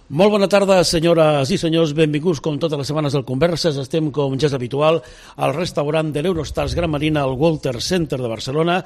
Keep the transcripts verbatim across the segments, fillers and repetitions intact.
Molt bona tarda, senyores i senyors. Benvinguts, com totes les setmanes, al Converses. Estem, com ja és habitual, al restaurant de l'Eurostars Gran Marina, al Walter Center de Barcelona.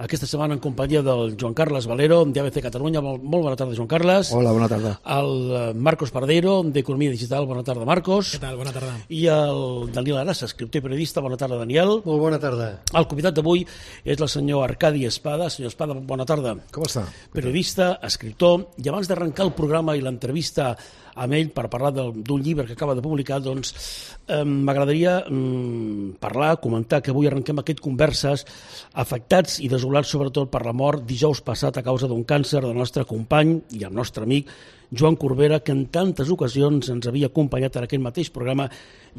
Aquesta setmana en companyia del Joan Carles Valero, d'A B C Catalunya. Molt, molt bona tarda, Joan Carles. Hola, bona tarda. El Marcos Pardeiro, d'Economia Digital. Bona tarda, Marcos. Què tal? Bona tarda. I el Daniel Arassa, escriptor i periodista. Bona tarda, Daniel. Molt bona tarda. El convidat d'avui és el senyor Arcadi Espada. Senyor Espada, bona tarda. Com està? Periodista, escriptor. I abans d'arrencar el programa i l'entrevista amb ell per parlar d'un llibre que acaba de publicar, doncs eh, m'agradaria eh, parlar, comentar que avui arrenquem aquest Converses afectats i desolats sobretot per la mort dijous passat a causa d'un càncer del nostre company i el nostre amic Joan Corbera, que en tantes ocasions ens havia acompanyat en aquest mateix programa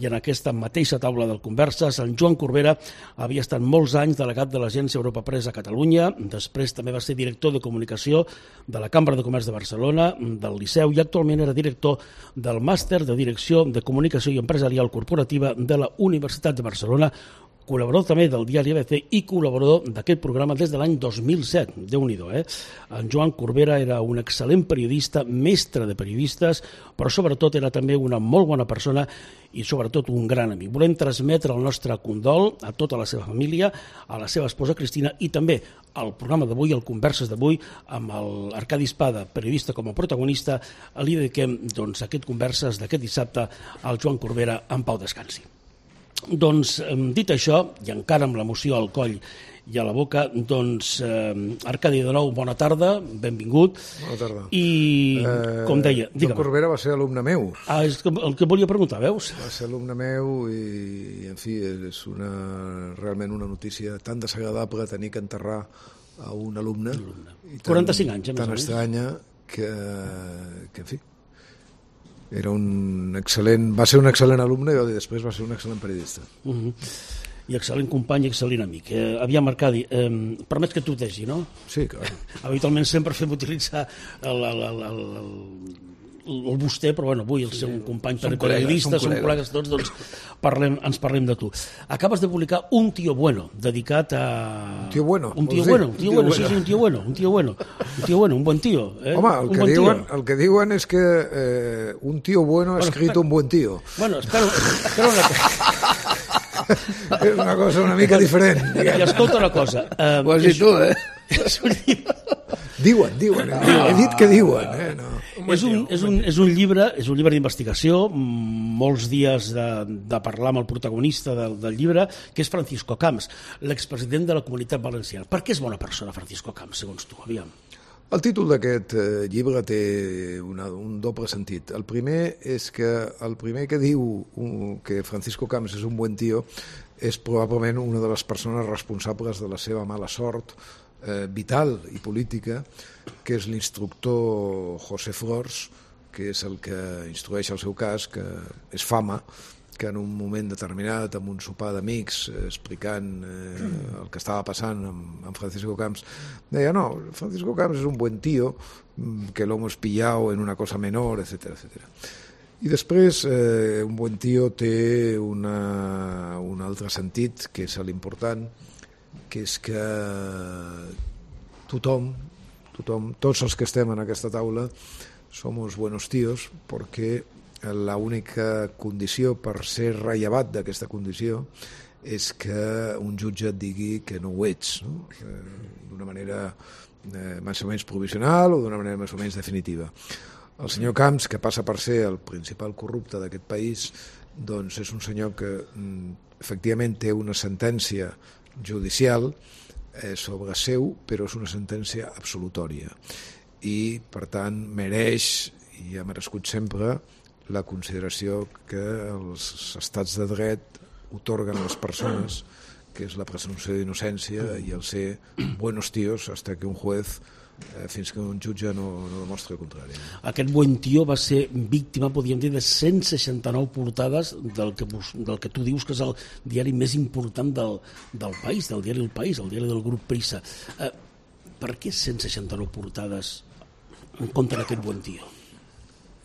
i en aquesta mateixa taula del Converses. En Joan Corbera havia estat molts anys delegat de l'Agència Europa Press a Catalunya, després també va ser director de comunicació de la Cambra de Comerç de Barcelona, del Liceu, i actualment era director del Màster de Direcció de Comunicació i Empresarial Corporativa de la Universitat de Barcelona, col·laborador també del diari A B C i col·laborador d'aquest programa des de l'any dos mil set. Déu-n'hi-do, eh? En Joan Corbera era un excel·lent periodista, mestre de periodistes, però sobretot era també una molt bona persona i sobretot un gran amic. Volem transmetre el nostre condol a tota la seva família, a la seva esposa Cristina i també al programa d'avui, al Converses d'avui, amb l'Arcadi Espada, periodista com a protagonista, li dediquem doncs, aquest Converses d'aquest dissabte al Joan Corbera. En pau descansi. Doncs, dit això, i encara amb l'emoció al coll i a la boca, doncs, eh, Arcadi, de nou, bona tarda, benvingut. Bona tarda. I, eh, com deia... Joan Corbera va ser alumne meu. Ah, és el que volia preguntar, veus? Va ser alumne meu i, en fi, és una, realment una notícia tan desagradable tenir que enterrar a un alumne. alumne. quaranta-cinc anys, tan estranya que, que, en fi, era un excel·lent, va ser un excel·lent alumne i després va ser un excel·lent periodista. Uh -huh. I excel·lent company i excel·lent amic. Eh, aviam, Arcadi, eh, permets que tutegi, no? Sí, clar. Habitualment sempre fem utilitzar el, el, el, el, el, el vostè, però bueno, avui el seu sí, company som periodista, col·legues, som col·legues tots, doncs parlem, ens parlem de tu. Acabes de publicar Un tío bueno, dedicat a... Un tío bueno? Un tío bueno, un tío bueno, sí, sí, un tío bueno, un tío bueno, un tío bueno, un buen tío. Eh? Home, el un que, bon diuen, tío. el que diuen és que eh, un tío bueno ha bueno, escrit espera, un buen tío. Bueno, espera, espera una cosa. És una cosa una mica diferent. I escolta una cosa. Eh, Ho has dit tu, eh? És un llibre... Diuen, diuen, he dit que diuen. Eh? No. És un, és, un, és un llibre és un llibre d'investigació, molts dies de, de parlar amb el protagonista del, del llibre, que és Francisco Camps, l'expresident de la Comunitat Valenciana. Per què és bona persona Francisco Camps, segons tu? Aviam. El títol d'aquest eh, llibre té una, un doble sentit. El primer és que el primer que diu un, que Francisco Camps és un bon tio és probablement una de les persones responsables de la seva mala sort eh, vital i política, que és l'instructor José Flors, que és el que instrueix el seu cas, que és Fama, que en un moment determinat, amb un sopar d'amics, eh, explicant eh, el que estava passant amb, amb Francisco Camps, deia, no, Francisco Camps és un buen tío, que lo hemos pillado en una cosa menor, etcètera, etcètera. I després, eh, un buen tío té una, un altre sentit, que és l'important, que és que tothom, tothom, tots els que estem en aquesta taula, somos buenos tíos, perquè l'única condició per ser rellevat d'aquesta condició és que un jutge et digui que no ho ets, no? D'una manera eh, més o menys provisional o d'una manera més o menys definitiva. El senyor Camps, que passa per ser el principal corrupte d'aquest país, doncs és un senyor que efectivament té una sentència judicial eh, sobre seu, però és una sentència absolutòria i per tant mereix i ha merescut sempre la consideració que els estats de dret otorguen a les persones, que és la presumpció d'innocència i el ser buenos tíos hasta que un juez eh, fins que un jutge no, no demostra el contrari. Aquest buen tío va ser víctima, podríem dir, de cent seixanta-nou portades del que, del que tu dius que és el diari més important del, del país, del diari El País, el diari del grup Prisa. Eh, per què cent seixanta-nou portades en contra d'aquest buen tío?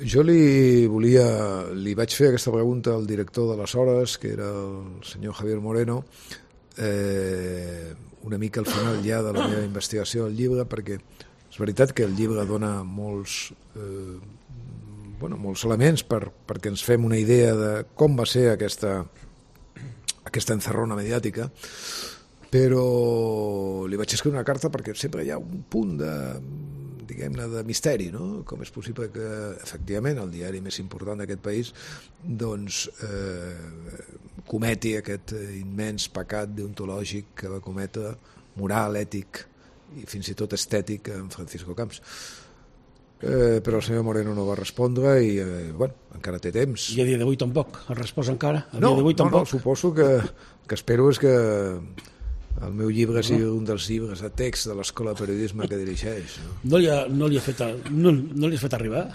Jo li volia, li vaig fer aquesta pregunta al director d'aleshores, que era el senyor Javier Moreno, eh, una mica al final ja de la meva investigació del llibre, perquè és veritat que el llibre dona molts, eh, bueno, molts elements per, perquè ens fem una idea de com va ser aquesta, aquesta encerrona mediàtica, però li vaig escriure una carta perquè sempre hi ha un punt de, diguem-ne, de misteri, no? Com és possible que, efectivament, el diari més important d'aquest país doncs eh, cometi aquest immens pecat deontològic que va cometre, moral, ètic i fins i tot estètic, en Francisco Camps. Eh, però el senyor Moreno no va respondre i, eh, bueno, encara té temps. I a dia d'avui tampoc? Ha respost encara? A no, dia d'avui no, tampoc? no, suposo que, que espero és que el meu llibre sigui un dels llibres de text de l'Escola de Periodisme que dirigeix. No, no, li, ha, no, li, ha fet a, no, no li has fet arribar?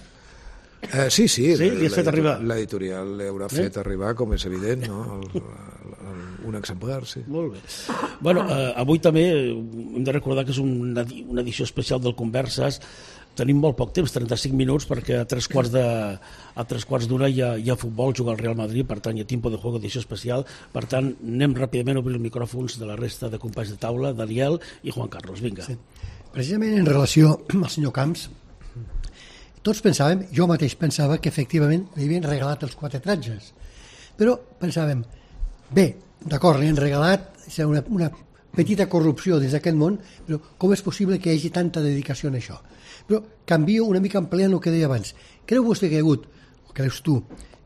Eh, sí, sí, sí li has fet arribar? L'editorial li haurà fet eh? arribar, com és evident, no? el, el, el, un exemplar, sí. Molt bé. Bueno, eh, avui també hem de recordar que és una, una edició especial del Converses. Tenim molt poc temps, trenta-cinc minuts, perquè a tres quarts de, a tres quarts d'una hi, hi ha futbol, juga el Real Madrid, per tant hi ha Tiempo de Juego, edició especial. Per tant, anem ràpidament a obrir els micròfons de la resta de companys de taula, Daniel i Juan Carlos. Vinga. Sí. Precisament en relació amb el senyor Camps, tots pensàvem, jo mateix pensava que efectivament li havien regalat els quatre tratges, però pensàvem, bé, d'acord, li han regalat una, una petita corrupció des d'aquest món, però com és possible que hi hagi tanta dedicació en això? Però canvio una mica empleant el que deia abans. Creu vostè que hi ha hagut, o creus tu,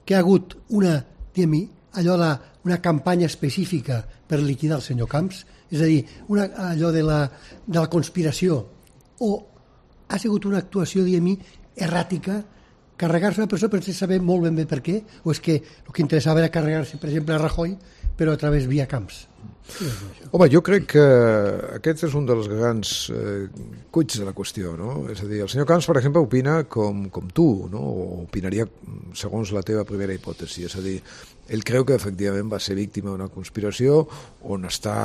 que hi ha hagut una, diguem-hi, allò de, una campanya específica per liquidar el senyor Camps? És a dir, una, allò de la, de la conspiració, o ha sigut una actuació, diguem-hi, erràtica, carregar-se una persona sense saber molt ben bé per què, o és que el que interessava era carregar-se, per exemple, a Rajoy, però a través via Camps? Home, jo crec que aquest és un dels grans eh, cuits de la qüestió, no? És a dir, el senyor Camps, per exemple, opina com, com tu, no? O opinaria segons la teva primera hipòtesi, és a dir, ell creu que efectivament va ser víctima d'una conspiració on està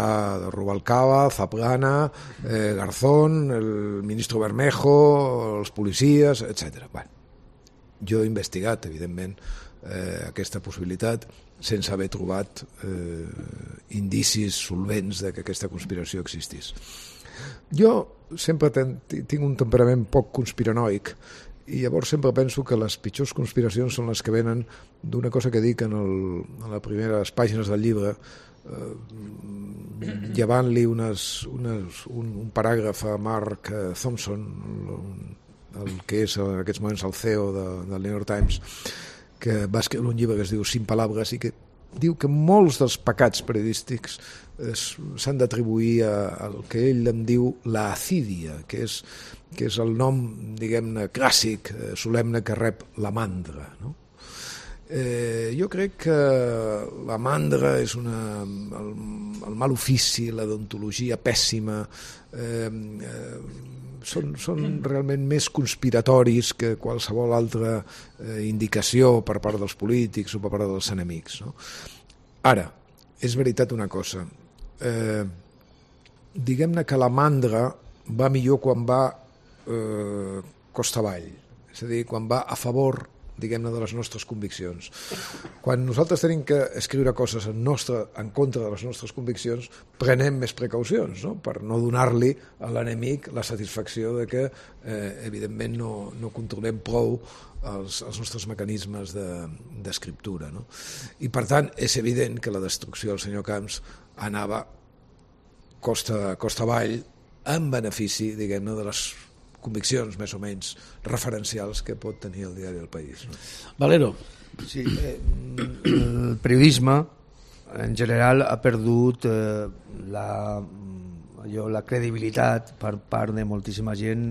de Rubalcaba, Zaplana, eh, Garzón, el ministre Bermejo, els policies, etcètera. Bueno, jo he investigat, evidentment, eh, aquesta possibilitat sense haver trobat eh, indicis solvents de que aquesta conspiració existís. Jo sempre ten, tinc un temperament poc conspiranoic i llavors sempre penso que les pitjors conspiracions són les que venen d'una cosa que dic en, el, en les primeres pàgines del llibre, eh, llevant-li unes, unes, un, un paràgraf a Mark Thompson, el, el que és en aquests moments el C E O de, del New York Times, que va escriure un llibre que es diu Sin Palabras i que diu que molts dels pecats periodístics s'han d'atribuir al que ell en diu la acídia, que és, que és el nom, diguem-ne, clàssic, eh, solemne que rep la mandra, no? Eh, jo crec que la mandra és una, el, el mal ofici, la deontologia pèssima, eh, eh, són, són realment més conspiratoris que qualsevol altra eh, indicació per part dels polítics o per part dels enemics, no? Ara, és veritat una cosa, eh, diguem-ne que la mandra va millor quan va eh, costa avall, és a dir, quan va a favor, diguem-ne, de les nostres conviccions. Quan nosaltres tenim que escriure coses en, nostre, en contra de les nostres conviccions, prenem més precaucions, no? Per no donar-li a l'enemic la satisfacció de que, eh, evidentment, no, no controlem prou els, els nostres mecanismes d'escriptura, no? I, per tant, és evident que la destrucció del senyor Camps anava costa, costa avall en benefici, diguem-ne, de les conviccions més o menys referencials que pot tenir el diari del País, no? Valero. Sí, eh, el periodisme en general ha perdut eh, la, allò, la credibilitat per part de moltíssima gent,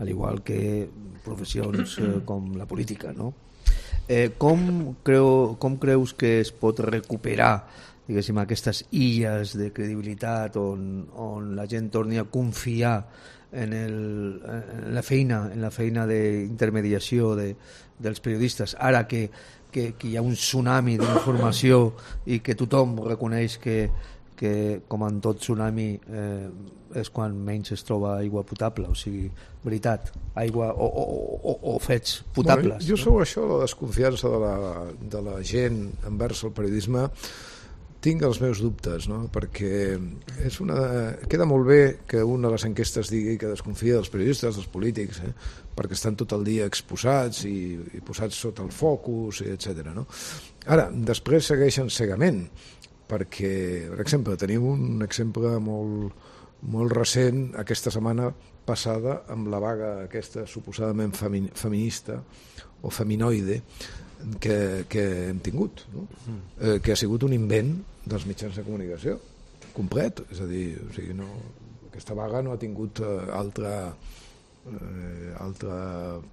al igual que professions eh, com la política, no? Eh, com, creu, com creus que es pot recuperar, diguéssim, aquestes illes de credibilitat on, on la gent torni a confiar en, el, en la feina en la feina d'intermediació de, dels periodistes, ara que, que, que hi ha un tsunami d'informació i que tothom reconeix que, que com en tot tsunami eh, és quan menys es troba aigua potable, o sigui, veritat, aigua o, o, o, o fets potables. Bueno, jo sobre no? això, la desconfiança de la, de la gent envers el periodisme, tinc els meus dubtes, no? Perquè és una... queda molt bé que una de les enquestes digui que desconfia dels periodistes, dels polítics, eh? Perquè estan tot el dia exposats i, i posats sota el focus, etcètera. No? Ara, després segueixen cegament, perquè, per exemple, tenim un exemple molt, molt recent aquesta setmana passada amb la vaga aquesta suposadament femi, feminista o feminoide que, que hem tingut, no? eh, que ha sigut un invent dels mitjans de comunicació complet, és a dir, o sigui, no, aquesta vaga no ha tingut eh, altra, eh, altra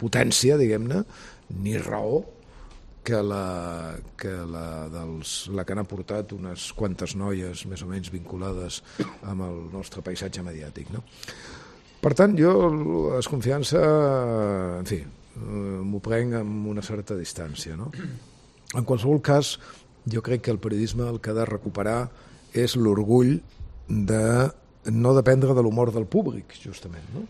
potència, diguem-ne, ni raó que la que la, dels, la que han aportat unes quantes noies més o menys vinculades amb el nostre paisatge mediàtic, no? Per tant, jo la desconfiança, en fi, m'ho prenc amb una certa distància, no? En qualsevol cas, jo crec que el periodisme el que ha de recuperar és l'orgull de no dependre de l'humor del públic, justament, no?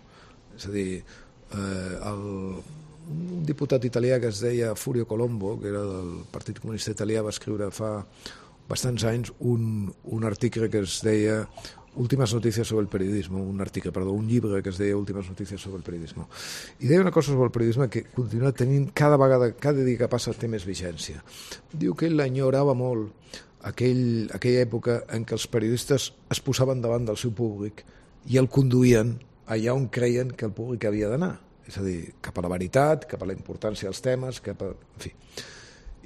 És a dir, eh, el, un diputat italià que es deia Furio Colombo, que era del Partit Comunista Italià, va escriure fa bastants anys un, un article que es deia Últimas noticias sobre el periodismo, un article, perdó, un llibre que es deia Últimas noticias sobre el periodismo. I deia una cosa sobre el periodisme que continua tenint cada vegada, cada dia que passa té més vigència. Diu que ell l'enyorava molt aquell, aquella època en què els periodistes es posaven davant del seu públic i el conduïen allà on creien que el públic havia d'anar. És a dir, cap a la veritat, cap a la importància dels temes, cap a... en fi.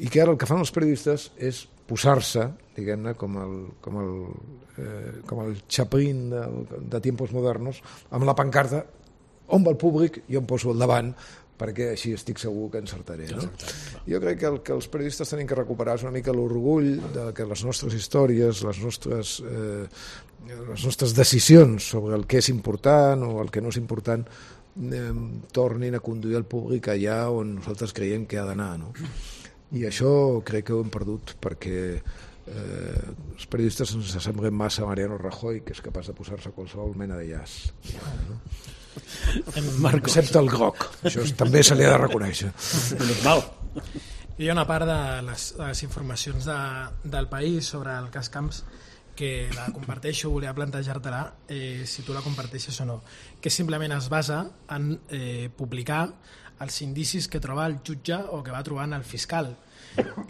I que ara el que fan els periodistes és posar-se, diguem-ne, com el, com el, eh, com el Chaplin de, de tiempos modernos, amb la pancarta on va el públic i on poso al davant, perquè així estic segur que encertaré. No? Jo crec que el que els periodistes tenim que recuperar és una mica l'orgull de que les nostres històries, les nostres, eh, les nostres decisions sobre el que és important o el que no és important eh, tornin a conduir el públic allà on nosaltres creiem que ha d'anar, no? I això crec que ho hem perdut perquè eh, els periodistes ens semblen massa a Mariano Rajoy, que és capaç de posar-se qualsevol mena de llaç. No? Excepte el groc, això també se li ha de reconèixer. Normal. Hi ha una part de les, de les informacions de, del país sobre el cas Camps que la comparteixo, volia plantejar-te-la, eh, si tu la comparteixes o no, que simplement es basa en eh, publicar els indicis que troba el jutge o que va trobant el fiscal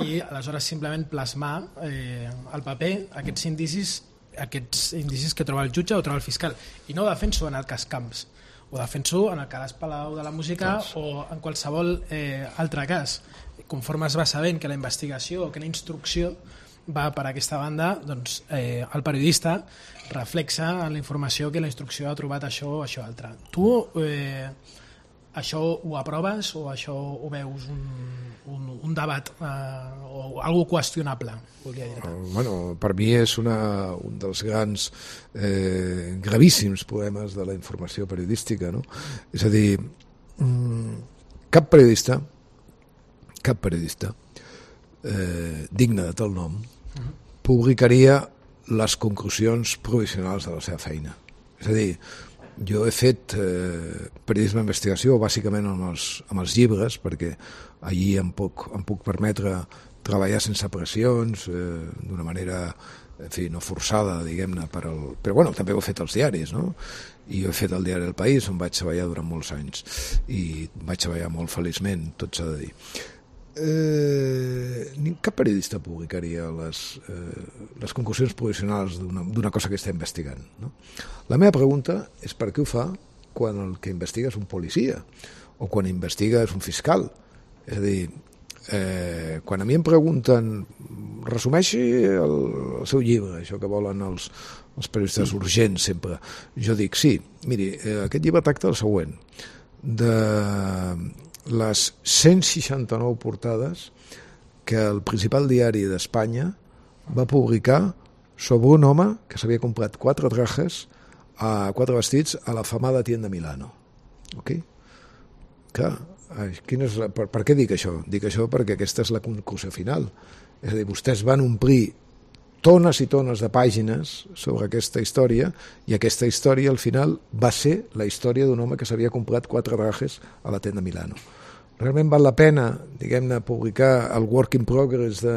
i aleshores simplement plasmar eh, al paper aquests indicis aquests indicis que troba el jutge o troba el fiscal, i no ho defenso en el cas Camps, ho defenso en el cas Palau de la Música o en qualsevol eh, altre cas. Conforme es va sabent que la investigació o que la instrucció va per aquesta banda, doncs eh, el periodista reflexa en la informació que la instrucció ha trobat això o això altre. Tu eh, això ho aproves o això ho veus un, un, un debat eh, o algo qüestionable? Volia dir. Uh, bueno, per mi és una, un dels grans eh, gravíssims problemes de la informació periodística, no? És a dir, mm, cap periodista cap periodista eh, digne de tal nom uh-huh. publicaria les conclusions provisionals de la seva feina. És a dir, jo he fet eh, periodisme d'investigació bàsicament amb els, amb els llibres, perquè allí em puc, em puc permetre treballar sense pressions, eh, d'una manera en fi, no forçada, diguem-ne, per al... però bueno, també ho he fet als diaris, no? I ho he fet al diari El País, on vaig treballar durant molts anys, i vaig treballar molt feliçment, tot s'ha de dir. Eh, cap periodista publicaria les, eh, les conclusions provisionals d'una cosa que està investigant, no? La meva pregunta és per què ho fa quan el que investiga és un policia o quan investiga és un fiscal. És a dir, eh, quan a mi em pregunten resumeixi el, el seu llibre, això que volen els, els periodistes urgents sempre, jo dic sí, miri, eh, aquest llibre tracta el següent, de les cent seixanta-nou portades que el principal diari d'Espanya va publicar sobre un home que s'havia comprat quatre trajes, a quatre vestits a la famada tienda Milano. Ok? Clar, quin és la, per, per què dic això? Dic això perquè aquesta és la conclusió final. És a dir, vostès van omplir tones i tones de pàgines sobre aquesta història, i aquesta història al final va ser la història d'un home que s'havia comprat quatre trajes a la tenda Milano. realment val la pena, diguem-ne, publicar el work in progress de,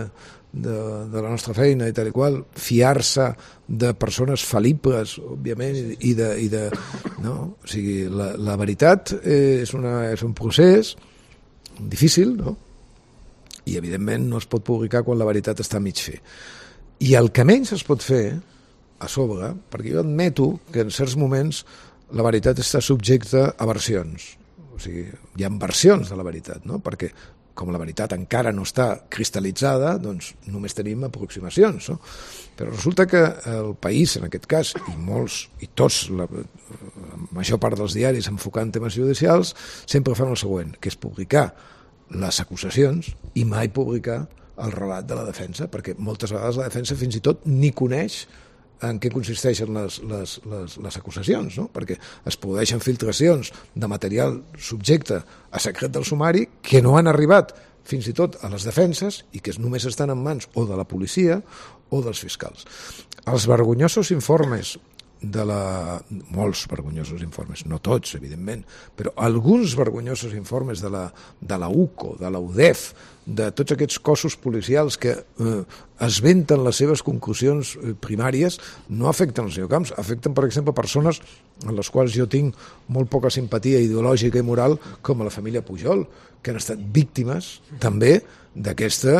de, de la nostra feina i tal i qual, fiar-se de persones fal·libles, òbviament, i de... I de no? O sigui, la, la veritat és, una, és un procés difícil, no? I evidentment no es pot publicar quan la veritat està a mig fer. I el que menys es pot fer a sobre, perquè jo admeto que en certs moments la veritat està subjecta a versions, o sigui, hi ha versions de la veritat, no? Perquè com la veritat encara no està cristal·litzada, doncs només tenim aproximacions, no? Però resulta que el país, en aquest cas, i molts, i tots, la, la major part dels diaris enfocant temes judicials, sempre fan el següent, que és publicar les acusacions i mai publicar el relat de la defensa, perquè moltes vegades la defensa fins i tot ni coneix en què consisteixen les, les, les, les acusacions, no? Perquè es produeixen filtracions de material subjecte a secret del sumari que no han arribat fins i tot a les defenses i que només estan en mans o de la policia o dels fiscals. Els vergonyosos informes de la... molts vergonyosos informes, no tots, evidentment, però alguns vergonyosos informes de la, de la U C O, de la U D E F, de tots aquests cossos policials que eh, esventen les seves conclusions eh, primàries, no afecten el senyor Camps, afecten, per exemple, persones en les quals jo tinc molt poca simpatia ideològica i moral, com a la família Pujol, que han estat víctimes també d'aquesta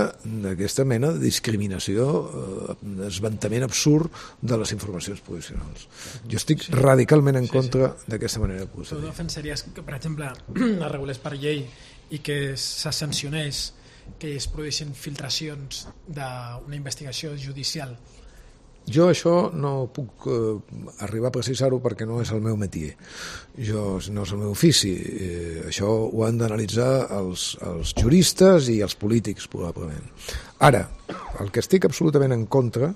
d'aquesta mena de discriminació, eh, desventament absurd de les informacions provisionals. Jo estic sí. radicalment en contra sí, sí. d'aquesta manera de procedir. Tu defensaries que, per exemple, es regulés per llei i que se sancionés que es produeixin filtracions d'una investigació judicial? Jo això no puc eh, arribar a precisar-ho perquè no és el meu métier. Jo, no és el meu ofici. Eh, això ho han d'analitzar els, els juristes i els polítics, probablement. Ara, el que estic absolutament en contra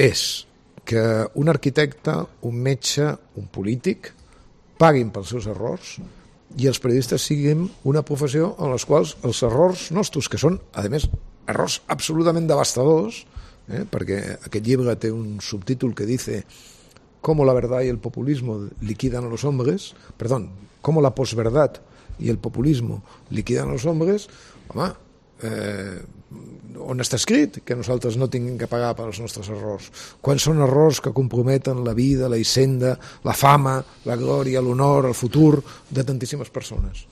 és que un arquitecte, un metge, un polític paguin pels seus errors i els periodistes siguin una professió en les quals els errors nostres, que són, a més, errors absolutament devastadors, eh, perquè aquest llibre té un subtítol que dice «Cómo la verdad y el populismo liquidan a los hombres», perdón, «Cómo la posverdad y el populismo liquidan a los hombres», home, eh, on està escrit que nosaltres no tinguem que pagar pels nostres errors? Quan són errors que comprometen la vida, la hisenda, la fama, la glòria, l'honor, el futur de tantíssimes persones?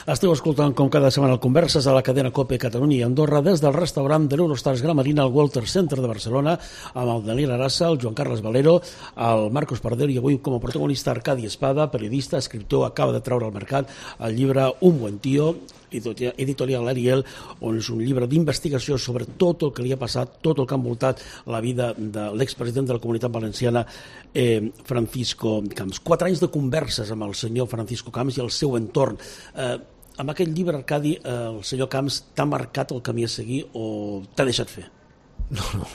Esteu escoltant com cada setmana el Converses a la cadena COPE Catalunya i Andorra des del restaurant de l'Eurostars Gramarina al Walter Center de Barcelona amb el Daniel Arassa, el Joan Carles Valero, el Marcos Pardero i avui com a protagonista Arcadi Espada, periodista, escriptor, acaba de treure al mercat el llibre Un buen tío, editorial Ariel, on és un llibre d'investigació sobre tot el que li ha passat, tot el que ha envoltat la vida de l'expresident de la Comunitat Valenciana, eh, Francisco Camps. Quatre anys de converses amb el senyor Francisco Camps i el seu entorn. Eh, amb aquest llibre, Arcadi, eh, el senyor Camps t'ha marcat el camí a seguir o t'ha deixat fer? No, no.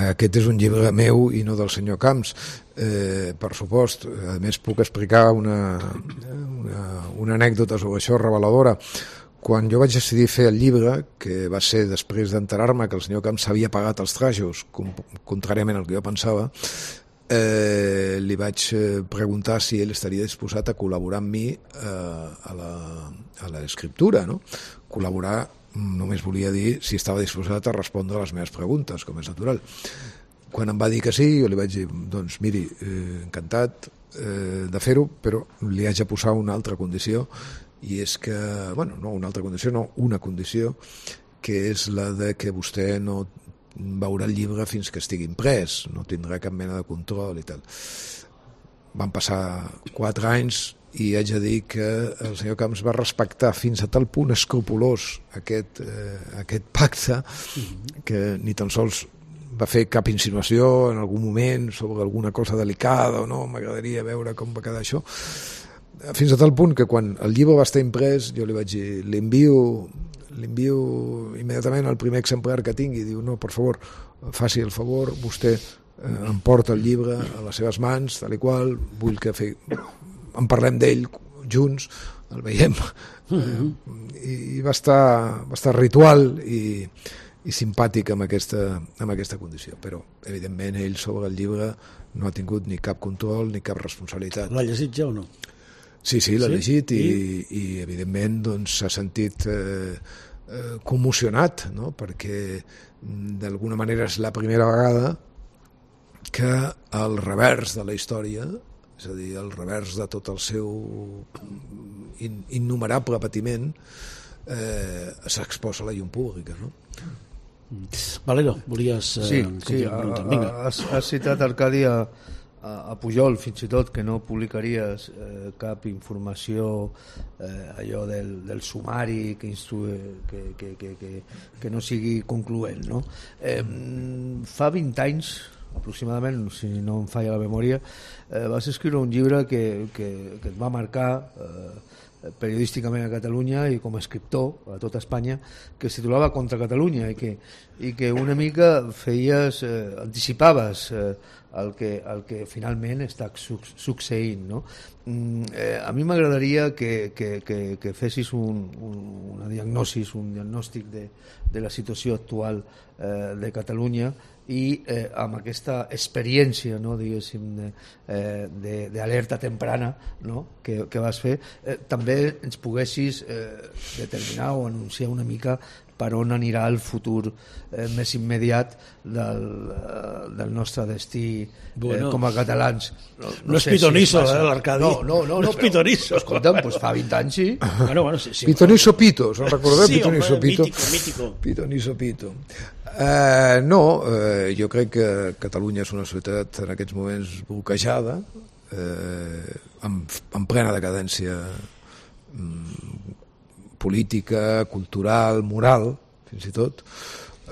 Aquest és un llibre meu i no del senyor Camps, eh, per supost. A més, puc explicar una, una, una anècdota sobre això reveladora. Quan jo vaig decidir fer el llibre, que va ser després d'enterar-me que el senyor Camps s'havia pagat els trajos, contràriament al que jo pensava, eh, li vaig preguntar si ell estaria disposat a col·laborar amb mi eh, a la, a l'escriptura, no? Col·laborar només volia dir si estava disposat a respondre a les meves preguntes, com és natural. Quan em va dir que sí, jo li vaig dir, doncs miri, eh, encantat eh, de fer-ho, però li haig de posar una altra condició, i és que, bueno, no una altra condició, no, una condició, que és la de que vostè no veurà el llibre fins que estigui imprès, no tindrà cap mena de control i tal. Van passar quatre anys i haig de dir que el senyor Camps va respectar fins a tal punt escrupolós aquest, eh, aquest pacte que ni tan sols va fer cap insinuació en algun moment sobre alguna cosa delicada o no, m'agradaria veure com va quedar això, fins a tal punt que quan el llibre va estar imprès jo li vaig dir, li envio li envio immediatament el primer exemplar que tingui, diu, no, per favor faci el favor, vostè eh, em porta el llibre a les seves mans, tal i qual, vull que fe... en parlem d'ell junts, el veiem, mm-hmm. eh, i va estar, va estar ritual i, i simpàtic amb aquesta, amb aquesta condició, però evidentment ell sobre el llibre no ha tingut ni cap control ni cap responsabilitat. L'ha llegit ja o no? Sí, sí, l'ha Sí? llegit i, I? i evidentment doncs, s'ha sentit eh, eh, commocionat, no? Perquè mm, d'alguna manera és la primera vegada que el revers de la història, és a dir, el revers de tot el seu in, innumerable patiment, eh, s'exposa a la llum pública, no? Valero, volies... Eh, Sí, com sí, dir, ha- preguntar? ha- Vinga. has, has citat, Arcadi, a, a a Pujol, fins i tot, que no publicaries eh, cap informació, eh, allò del, del sumari que, instrue, que, que, que, que, que no sigui concloent, no? Eh, fa vint anys, aproximadament, si no em falla la memòria, eh, vas escriure un llibre que, que, que et va marcar eh, periodísticament a Catalunya i com a escriptor a tota Espanya, que es titulava Contra Catalunya i que, i que una mica feies, eh, anticipaves eh, el, que, el que finalment està succeint, no? Mm, eh, a mi m'agradaria que, que, que, que fessis un, un, una diagnosi, un diagnòstic de, de la situació actual eh, de Catalunya i eh, amb aquesta experiència, no, diguéssim, d'alerta eh, temprana, no, que, que vas fer, eh, també ens poguessis eh, determinar o anunciar una mica per on anirà el futur eh, més immediat del, eh, del nostre destí eh, Bueno. com a catalans. No, No és sé pitonisso, massa. eh, l'Arcadi. No, no, no, No no és però, pitonisso. Escolta'm, doncs fa vint anys, sí. Bueno, bueno, sí, sí, Pitonisso Pito, se'n recordeu? Sí, Pitonisso home, Pito. mítico, mítico. Pitonisso Pito. Eh, no, eh, jo crec que Catalunya és una societat en aquests moments bloquejada, eh, en, en plena decadència mm, política, cultural, moral, fins i tot.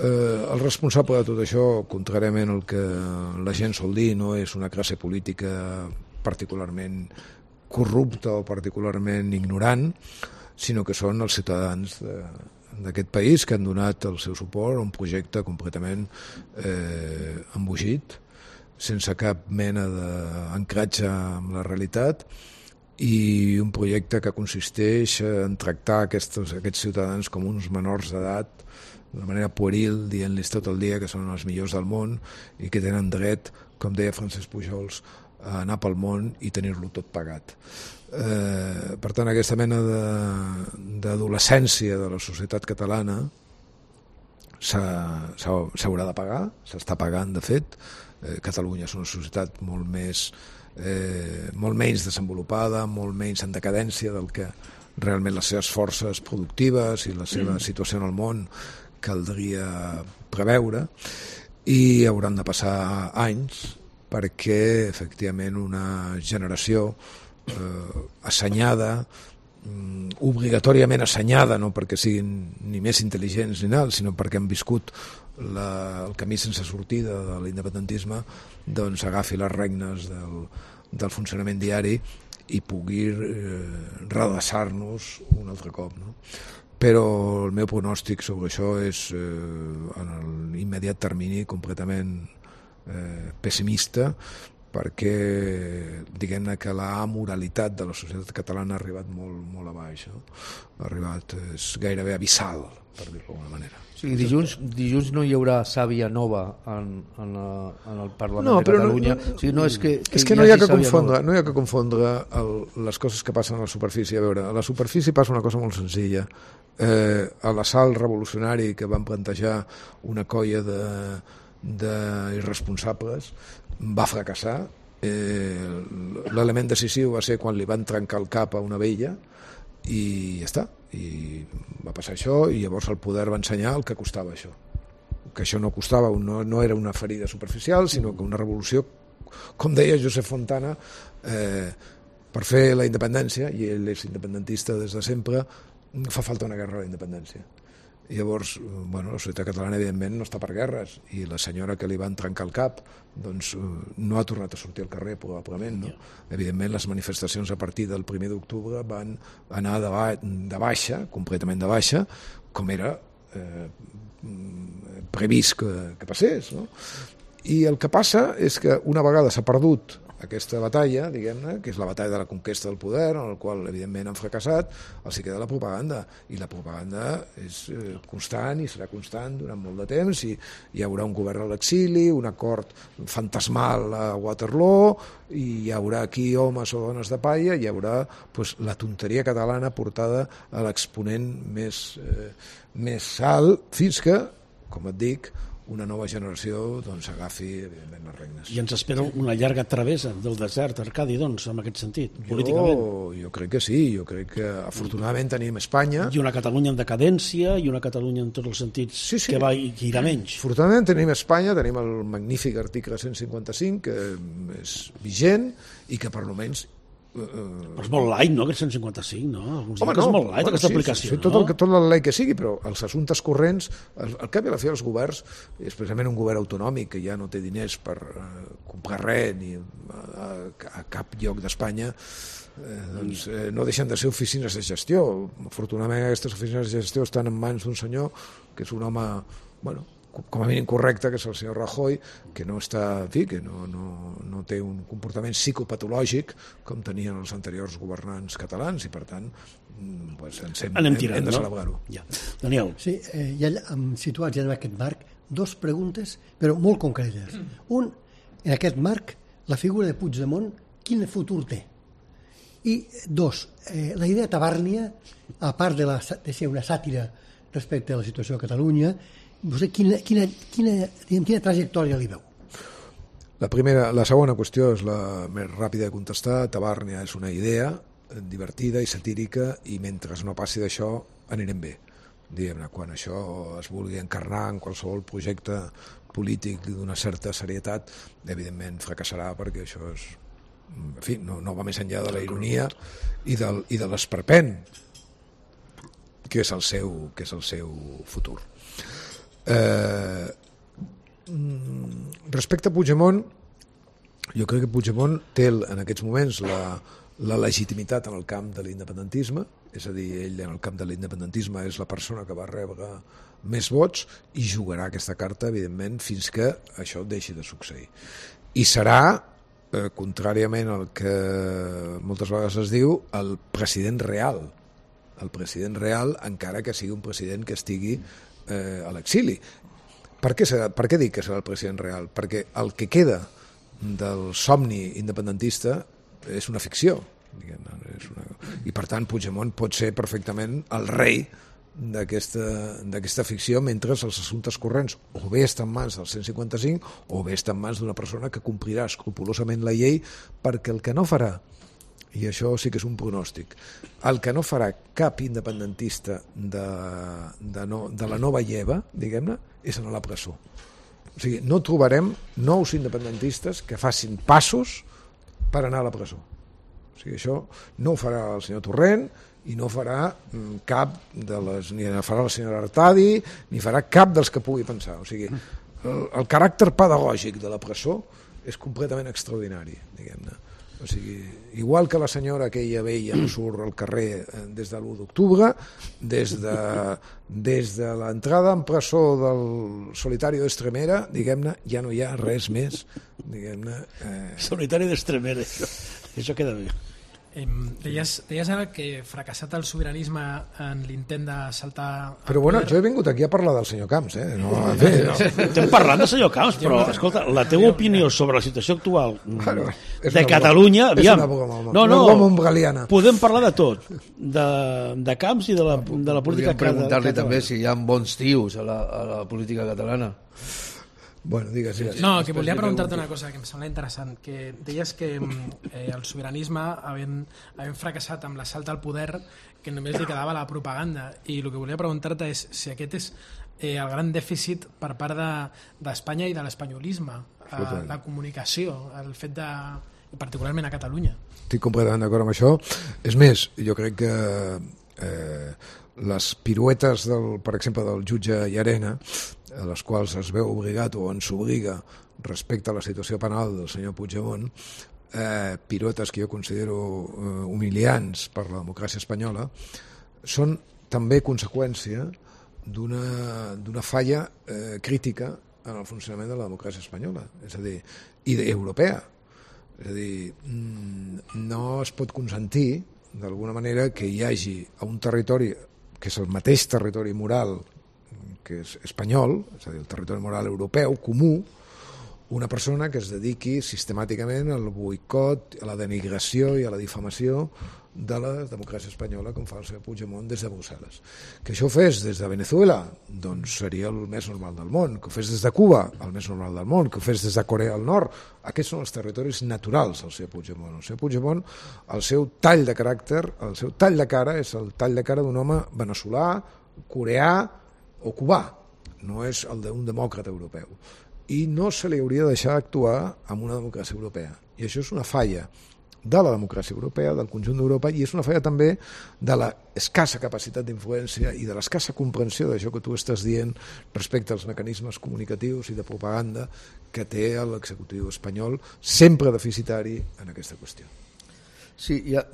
Eh, el responsable de tot això, contràriament al que la gent sol dir, no és una classe política particularment corrupta o particularment ignorant, sinó que són els ciutadans de, d'aquest país que han donat el seu suport a un projecte completament eh, embogit, sense cap mena d'ancratge amb la realitat, i un projecte que consisteix en tractar aquests, aquests ciutadans com uns menors d'edat d'una manera pueril, dient-los tot el dia que són els millors del món i que tenen dret, com deia Francesc Pujols, a anar pel món i tenir-lo tot pagat. Eh, per tant, aquesta mena d'adolescència de, de la societat catalana s'haurà de pagar, s'està pagant, de fet. Eh, Catalunya és una societat molt més eh, molt menys desenvolupada, molt menys en decadència del que realment les seves forces productives i la seva situació en el món caldria preveure, i hauran de passar anys perquè efectivament una generació eh, assenyada, mm, obligatòriament assenyada, no perquè siguin ni més intel·ligents ni nada, sinó perquè han viscut la, el camí sense sortida de l'independentisme, doncs agafi les regnes del, del funcionament diari i pugui eh, redreçar-nos un altre cop, no? Però el meu pronòstic sobre això és eh, en l'immediat termini completament eh, pessimista, perquè diguem-ne que la amoralitat de la societat catalana ha arribat molt, molt a baix, no? Ha arribat, és gairebé abissal, per dir-ho d'alguna manera. Sí, dilluns, dilluns no hi haurà sàvia nova en, en, la, en el Parlament No, de però no- Catalunya. no- o sigui, no és que, que és que no hi ha hagi que sàvia confondre, nova. no hi ha que confondre el, les coses que passen a la superfície. A veure, a la superfície passa una cosa molt senzilla. Eh, a l'assalt revolucionari que van plantejar una colla de, de irresponsables va fracassar. Eh, l'element decisiu va ser quan li van trencar el cap a una vella i ja està, i va passar això, i llavors el poder va ensenyar el que costava això, que això no costava, no, no era una ferida superficial, sinó que una revolució, com deia Josep Fontana, eh, per fer la independència, i ell és independentista des de sempre, fa falta una guerra a la independència. I llavors, bueno, la societat catalana evidentment no està per guerres, i la senyora que li van trencar el cap doncs no ha tornat a sortir al carrer probablement, no? Evidentment les manifestacions a partir del primer d'octubre van anar de, ba de baixa, completament de baixa, com era eh, previst que, que passés, no? I el que passa és que una vegada s'ha perdut aquesta batalla, diguem-ne, que és la batalla de la conquesta del poder, en el qual evidentment han fracassat, els hi queda la propaganda, i la propaganda és eh, constant i serà constant durant molt de temps, i hi haurà un govern a l'exili, un acord fantasmal a Waterloo, i hi haurà aquí homes o dones de palla, i hi haurà pues, la tonteria catalana portada a l'exponent més, eh, més alt, fins que, com et dic, una nova generació doncs, agafi, evidentment, les regnes. I ens espera una llarga travessa del desert, Arcadi, doncs, en aquest sentit, políticament. Jo, jo crec que sí, jo crec que afortunadament tenim Espanya. I una Catalunya en decadència, i una Catalunya en tots els sentits sí, sí. que va i que irà menys. Afortunadament tenim Espanya, tenim el magnífic article cent cinquanta-cinc, que és vigent i que per almenys Però és molt light, no?, aquest cent cinquanta-cinc, no? Alguns Home, diuen que és molt light, bueno, aquesta sí, aplicació, sí, no? Tot, el, tot la llei que sigui, però els assumptes corrents, al, al cap i a la fi els governs, especialment un govern autonòmic que ja no té diners per uh, comprar res ni a, a cap lloc d'Espanya, eh, doncs eh, no deixen de ser oficines de gestió. Afortunadament aquestes oficines de gestió estan en mans d'un senyor que és un home, bueno, com a mínim correcte, que és el senyor Rajoy, que no està, en fi, que no, no, no té un comportament psicopatològic com tenien els anteriors governants catalans, i per tant pues, ens hem, Anem hem, tirant, hem de no? celebrar-ho. Ja. Daniel. Sí, eh, ja hem situat ja en aquest marc dos preguntes, però molt concretes. Un, en aquest marc, la figura de Puigdemont, quin futur té? I dos, eh, la idea Tabàrnia, a part de, la, de ser una sàtira respecte a la situació a Catalunya, vostè quina, quina, quina, diguem, quina trajectòria li veu? La, primera, la segona qüestió és la més ràpida de contestar. Tabàrnia és una idea divertida i satírica, i mentre no passi d'això anirem bé. Diguem-ne, quan això es vulgui encarnar en qualsevol projecte polític d'una certa serietat, evidentment fracassarà, perquè això és, en fi, no, no va més enllà de la ironia i, del, i de l'esperpent, que és el seu, que és el seu futur. Eh, respecte a Puigdemont, jo crec que Puigdemont té en aquests moments la, la legitimitat en el camp de l'independentisme, és a dir, ell en el camp de l'independentisme és la persona que va rebre més vots, i jugarà aquesta carta, evidentment, fins que això deixi de succeir. I serà, eh, contràriament al que moltes vegades es diu, el president real, el president real, encara que sigui un president que estigui eh, a l'exili. Per què, serà, per què dic que serà el president real? Perquè el que queda del somni independentista és una ficció, diguem, és una... i per tant Puigdemont pot ser perfectament el rei d'aquesta ficció, mentre els assumptes corrents o bé estan en mans del cent cinquanta-cinc o bé estan en mans d'una persona que complirà escrupolosament la llei, perquè el que no farà, i això sí que és un pronòstic, el que no farà cap independentista de, de, no, de la nova lleva, diguem-ne, és anar a la presó. O sigui, no trobarem nous independentistes que facin passos per anar a la presó. O sigui, això no ho farà el senyor Torrent, i no farà cap de les, ni farà la senyora Artadi, ni farà cap dels que pugui pensar. O sigui, el, el caràcter pedagògic de la presó és completament extraordinari, diguem-ne. O sigui, igual que la senyora aquella vella no surt al carrer des de l'u d'octubre, des de, des de l'entrada en presó del Solitario d'Estremera, diguem-ne, ja no hi ha res més, diguem-ne. Eh... Solitario d'Estremera, això, això queda bé. Eh, deies, deies ara que fracassat el sobiranisme en l'intent de saltar... Però bueno, jo he vingut aquí a parlar del senyor Camps, eh? No, bé, no. Estem parlant del senyor Camps, però escolta, la teva opinió sobre la situació actual Claro, de Catalunya, és aviam, una broma, no, no, una broma umbraliana. Podem parlar de tot, de, de Camps i de la, de la política Podríem preguntar-li catalana. també si hi ha bons tios a la, a la política catalana. Bueno, digues, digues. No, que volia preguntar-te una cosa que em sembla interessant, que deies que eh, el sobiranisme, havent, havent fracassat amb l'assalt al poder, que només li quedava la propaganda, i el que volia preguntar-te és si aquest és eh, el gran dèficit per part d'Espanya de, i de l'espanyolisme, eh, la comunicació, el fet de... particularment a Catalunya. Estic completament d'acord amb això. És més, jo crec que eh, les piruetes, del, per exemple, del jutge Llarena, a les quals es veu obligat o ens obliga respecte a la situació penal del senyor Puigdemont, eh, piruetes que jo considero eh, humiliants per la democràcia espanyola, són també conseqüència d'una falla eh, crítica en el funcionament de la democràcia espanyola, és a dir, i europea. És a dir, no es pot consentir d'alguna manera que hi hagi a un territori que és el mateix territori moral que és espanyol, és a dir, el territori moral europeu, comú, una persona que es dediqui sistemàticament al boicot, a la denigració i a la difamació de la democràcia espanyola, com fa el senyor Puigdemont des de Brussel·les. Que això ho fes des de Venezuela, doncs seria el més normal del món. Que ho fes des de Cuba, el més normal del món. Que ho fes des de Corea del Nord. Aquests són els territoris naturals del senyor Puigdemont. El senyor Puigdemont, el seu tall de caràcter, el seu tall de cara és el tall de cara d'un home veneçolà, coreà o cubà. No és el d'un demòcrata europeu. I no se li hauria de deixar actuar amb una democràcia europea. I això és una falla de la democràcia europea, del conjunt d'Europa, i és una falla també de la escassa capacitat d'influència i de l'escassa comprensió d'això que tu estàs dient respecte als mecanismes comunicatius i de propaganda que té l'executiu espanyol, sempre deficitari en aquesta qüestió. Sí, ja,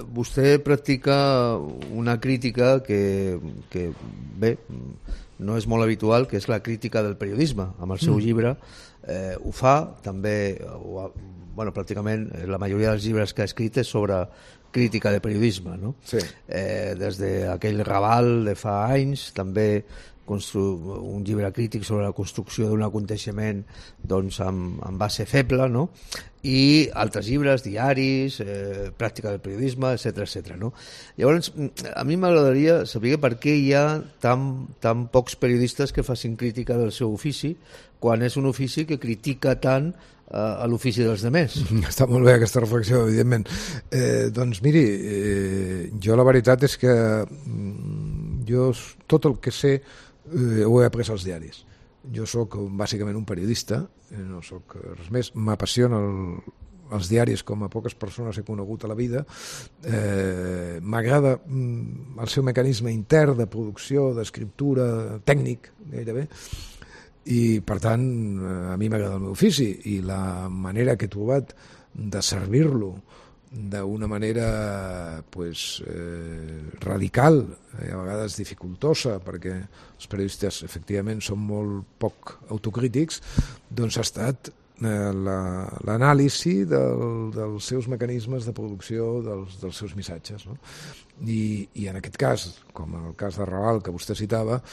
vostè practica una crítica que, que, bé, no és molt habitual, que és la crítica del periodisme. Amb el seu mm. llibre eh, ho fa, també, ho ha, bueno, pràcticament la majoria dels llibres que ha escrit és sobre crítica de periodisme, no? Sí. Eh, des d'aquell Raval de fa anys, també un llibre crític sobre la construcció d'un aconteixement doncs, amb, amb base feble, no? I altres llibres, diaris, eh, pràctica del periodisme, etcètera, etcètera, no? Llavors, a mi m'agradaria saber per què hi ha tan, tan pocs periodistes que facin crítica del seu ofici, quan és un ofici que critica tant eh, a l'ofici dels demés. Està molt bé aquesta reflexió, evidentment. Eh, doncs miri, eh, jo la veritat és que jo tot el que sé eh, ho he après als diaris. Jo sóc bàsicament un periodista, no sóc res més, m'apassiona el, els diaris com a poques persones he conegut a la vida, eh, m'agrada el seu mecanisme intern de producció, d'escriptura, tècnic gairebé, i per tant a mi m'agrada el meu ofici i la manera que he trobat de servir-lo d'una manera pues, eh, radical, eh, a vegades dificultosa, perquè els periodistes efectivament són molt poc autocrítics, doncs ha estat eh, l'anàlisi la, del, dels seus mecanismes de producció dels, dels seus missatges, no? I, i en aquest cas, com en el cas de Raval que vostè citava,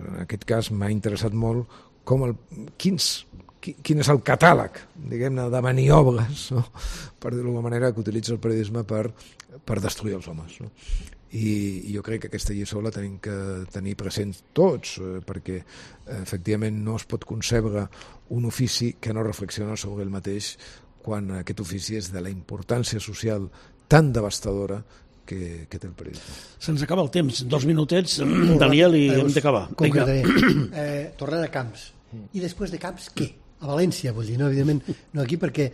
en aquest cas m'ha interessat molt com el, quins quin és el catàleg, diguem-ne, de maniobres, no? Per dir-ho d'alguna manera, que utilitza el periodisme per, per destruir els homes, no? I, i jo crec que aquesta lliçó la tenim que tenir present tots, eh, perquè eh, efectivament no es pot concebre un ofici que no reflexiona sobre ell mateix quan aquest ofici és de la importància social tan devastadora que, que té el periodisme. Se'ns acaba el temps, dos minutets, Daniel, i hem d'acabar. Concretaré. Eh, tornant a Camps. I després de Camps, què? A València, vull dir, no, evidentment, no aquí, perquè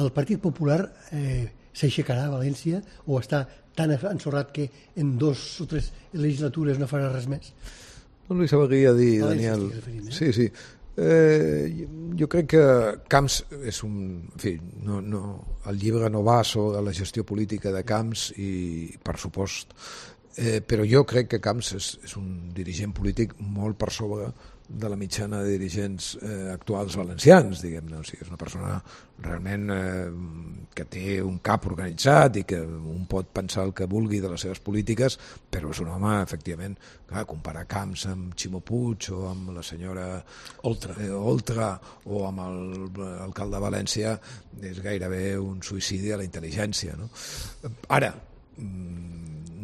el Partit Popular eh, s'aixecarà a València o està tan ensorrat que en dos o tres legislatures no farà res més? No li sabria dir, València, Daniel. Referint, eh? Sí, sí. Eh, jo crec que Camps és un... En fi, no, no, el llibre no va sobre la gestió política de Camps i per supost, eh, però jo crec que Camps és, és un dirigent polític molt per sobre de la mitjana de dirigents eh, actuals valencians, diguem-ne. O sigui, és una persona realment eh, que té un cap organitzat i que un pot pensar el que vulgui de les seves polítiques, però és un home, efectivament, clar, comparar Camps amb Ximo Puig o amb la senyora Oltra, eh, Oltra o amb l'alcalde de València és gairebé un suïcidi a la intel·ligència, no? Ara,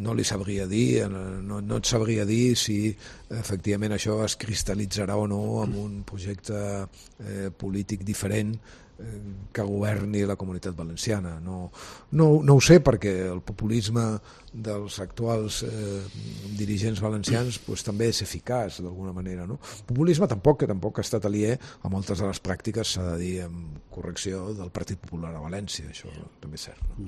no li sabria dir, no, no et sabria dir si efectivament això es cristal·litzarà o no en un projecte eh, polític diferent eh, que governi la comunitat valenciana. No, no, no ho sé, perquè el populisme dels actuals eh, dirigents valencians pues, també és eficaç d'alguna manera, no? Populisme tampoc, que tampoc ha estat aliè a moltes de les pràctiques, s'ha de dir amb correcció, del Partit Popular a València, això també és cert, no?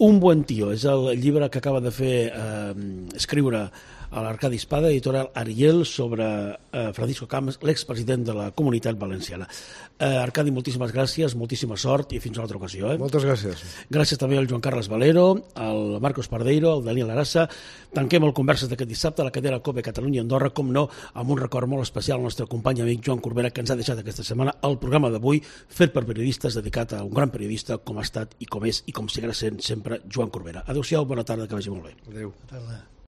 Un buen tio és el llibre que acaba de fer eh, escriure a l'Arcadi Espada, editorial Ariel, sobre eh, Francisco Camps, l'expresident de la Comunitat Valenciana. Eh, Arcadi, moltíssimes gràcies, moltíssima sort i fins a una altra ocasió. Eh? Moltes gràcies. Gràcies també al Joan Carles Valero, al Marcos Pardeiro, al Daniel Arassa. Tanquem el Converses d'aquest dissabte a la cadena COPE Catalunya Andorra, com no, amb un record molt especial al nostre company amic Joan Corbera, que ens ha deixat aquesta setmana el programa d'avui, fet per periodistes, dedicat a un gran periodista com ha estat i com és i com seguirà sent sempre Joan Corbera. Adéu-siau, bona tarda, que vagi molt bé. Adéu. Bona tarda.